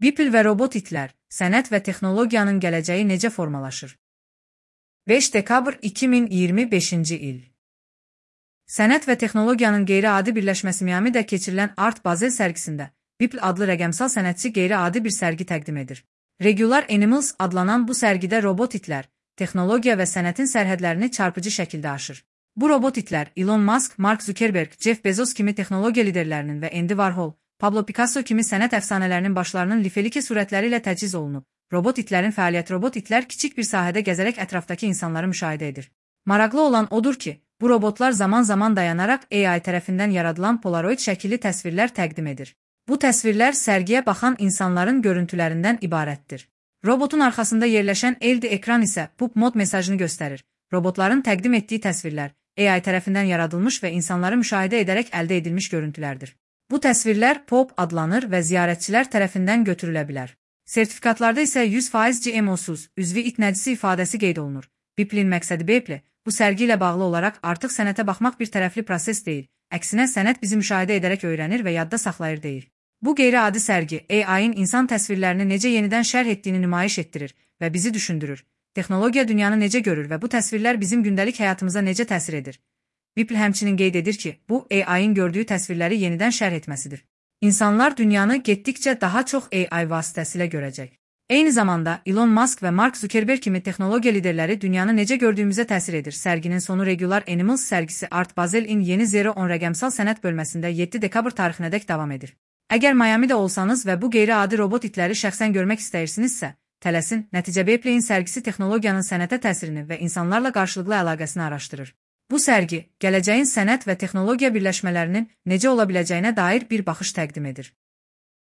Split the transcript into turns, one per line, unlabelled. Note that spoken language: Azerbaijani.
Beeple və robot itlər, sənət və texnologiyanın gələcəyi necə formalaşır? 5 dekabr 2025-ci il. Sənət və texnologiyanın qeyri-adi birləşməsi Miamidə keçirilən Art Basel sərgisində Beeple adlı rəqəmsal sənətçi qeyri-adi bir sərgi təqdim edir. Regular Animals adlanan bu sərgidə robot itlər, texnologiya və sənətin sərhədlərini çarpıcı şəkildə aşır. Bu robot itlər Elon Musk, Mark Zuckerberg, Jeff Bezos kimi texnologiya liderlərinin və Andy Warhol, Pablo Picasso kimi sənət əfsanələrinin başlarının lifelike surətləri ilə təchiz olunub. Robot itlərin fəaliyyəti robot itlər kiçik bir sahədə gəzərək ətrafdakı insanları müşahidə edir. Maraqlı olan odur ki, bu robotlar zaman-zaman dayanaraq AI tərəfindən yaradılan polaroid şəkilli təsvirlər təqdim edir. Bu təsvirlər sərgiyə baxan insanların görüntülərindən ibarətdir. Robotun arxasında yerləşən LED ekran isə pop mod mesajını göstərir. Robotların təqdim etdiyi təsvirlər AI tərəfindən yaradılmış və insanları müşahidə edərək əldə edilmiş görüntülərdir. Bu təsvirlər pop adlanır və ziyarətçilər tərəfindən götürülə bilər. Sertifikatlarda isə 100% GMO-suz, üzvi it nəcisi ifadəsi qeyd olunur. Beeple'in məqsədi Beeple, bu sərgi ilə bağlı olaraq artıq sənətə baxmaq bir tərəfli proses deyil, əksinə sənət bizi müşahidə edərək öyrənir və yadda saxlayır deyir. Bu qeyri-adi sərgi AI-in insan təsvirlərini necə yenidən şərh etdiyini nümayiş etdirir və bizi düşündürür. Texnologiya dünyanı necə görür və bu təsvirlər bizim gündəlik həyatımıza necə təsir edir? Beeple həmçinin qeyd edir ki, bu AI-in gördüyü təsvirləri yenidən şərh etməsidir. İnsanlar dünyanı getdikcə daha çox AI vasitəsilə görəcək. Eyni zamanda Elon Musk və Mark Zuckerberg kimi texnologiya liderləri dünyanı necə gördüyümüzə təsir edir. Sərginin sonu Regular Animals sərgisi Art Basel-in yeni 010 rəqəmsal sənət bölməsində 7 dekabr tarixinədək davam edir. Əgər Miamidə olsanız və bu qeyri-adi robot itləri şəxsən görmək istəyirsinizsə, tələsin, nəticə Beeple'in sərgisi texnologiyanın sənətə təsirini və insanlarla qarşılıqlı əlaqəsini araşdırır. Bu sərgi, gələcəyin sənət və texnologiya birləşmələrinin necə ola biləcəyinə dair bir baxış təqdim edir.